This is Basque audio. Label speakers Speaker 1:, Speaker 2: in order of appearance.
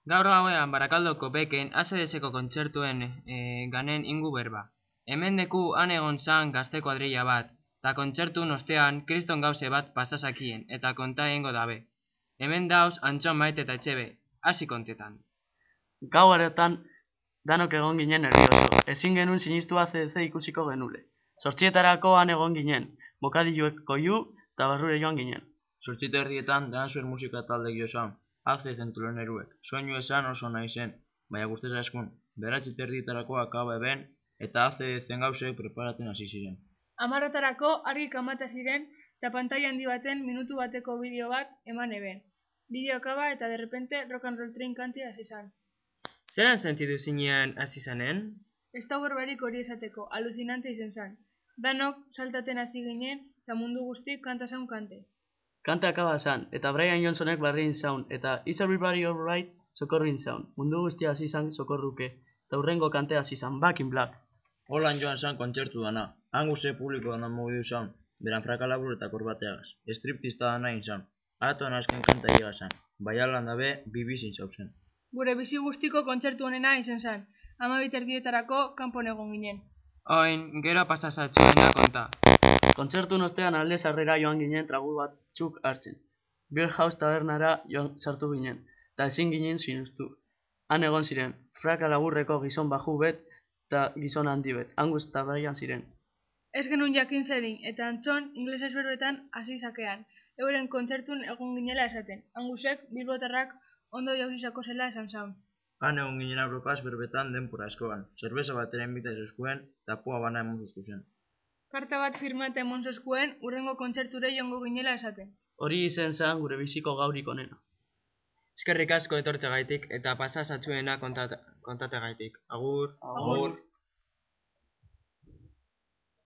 Speaker 1: Gaur gauean Barakaldoko beken ACDSko kontzertuen ganen ingu berba. Hemen deku han egon zan gazte kuadrilla bat, eta kontzertun ostean kriston gauze bat pasasakien, eta konta egingo dabe. Hemen dauz Antxon Maite eta Etxebe, hasi kontetan.
Speaker 2: Gau haretan danok egon ginen nervioso. Ezin genuen sinistu ACDC ikusiko genule. 8:00 han egon ginen, bokadilluek koiu eta barrure joan ginen.
Speaker 3: 8:30 Dansuer musika talde giosan, ACDCen tuloneruek. Soinu esan oso nahi zen, baina guztez askun. 9:30 akaba eben, eta ACDCen gauzek preparaten hasi ziren.
Speaker 4: 10:00 argi kamata ziren, eta pantaila handi baten minutu bateko bideo bat eman eben. Bideo akaba eta derrepente Rock and Roll Train kantia hasi zan.
Speaker 1: Zeran sentitu zinean hasi zanen?
Speaker 4: Ez da berbarik hori esateko, aluzinante izen zan. Danok saltaten hasi ginen, eta mundu guztik kanta zaun kante.
Speaker 2: Kanta akaba zan, eta Brian Johnsonek barrin zaun, eta Is Everybody Alright sokorrin zaun. Mundu guztia hasi zan sokorruke, eta hurrengo kantea hasi zan, Back in Black.
Speaker 3: Holan joan zan kontzertu dana, hanguze publiko dana mugidu zaun, beran frakalabur eta korbateagaz. Striptista dana izan, aratoan azken kanta higa zan, bai alan dabe bibizin zauzen.
Speaker 4: Gure bizi guztiko kontzertu honena izen zan, 12:00 kanpon egon ginen.
Speaker 1: Oin, gero pasasatzuena konta.
Speaker 2: Kontzertun ostean alde sarrera joan ginen tragu batzuk hartzen. Beer House tabernara joan sartu ginen, eta ezin ginen sinustu. Han egon ziren, fraka laburreko gizon baju bet eta gizon handi bet, Angus eta Brian ziren.
Speaker 4: Ez genuen jakin zedin, eta Antxon inglesez berbetan hasi zakean, euren kontzertun egon ginela esaten. Angusek bilbotarrak ondo jauzizako zela esan zaun.
Speaker 3: Han egon ginen abrokaz berbetan denpora askoan, zerbeza batera inbitaz eskuen, eta pua bana emon zuzku zen.
Speaker 4: Karta bat firmata emon zezkuen, urrengo kontzerture jongo ginela esaten.
Speaker 2: Hori izen zen gure biziko gaurik onena.
Speaker 1: Eskerrik asko etortzegaitik eta pasasatzuena kontategaitik. Agur.
Speaker 3: Agur.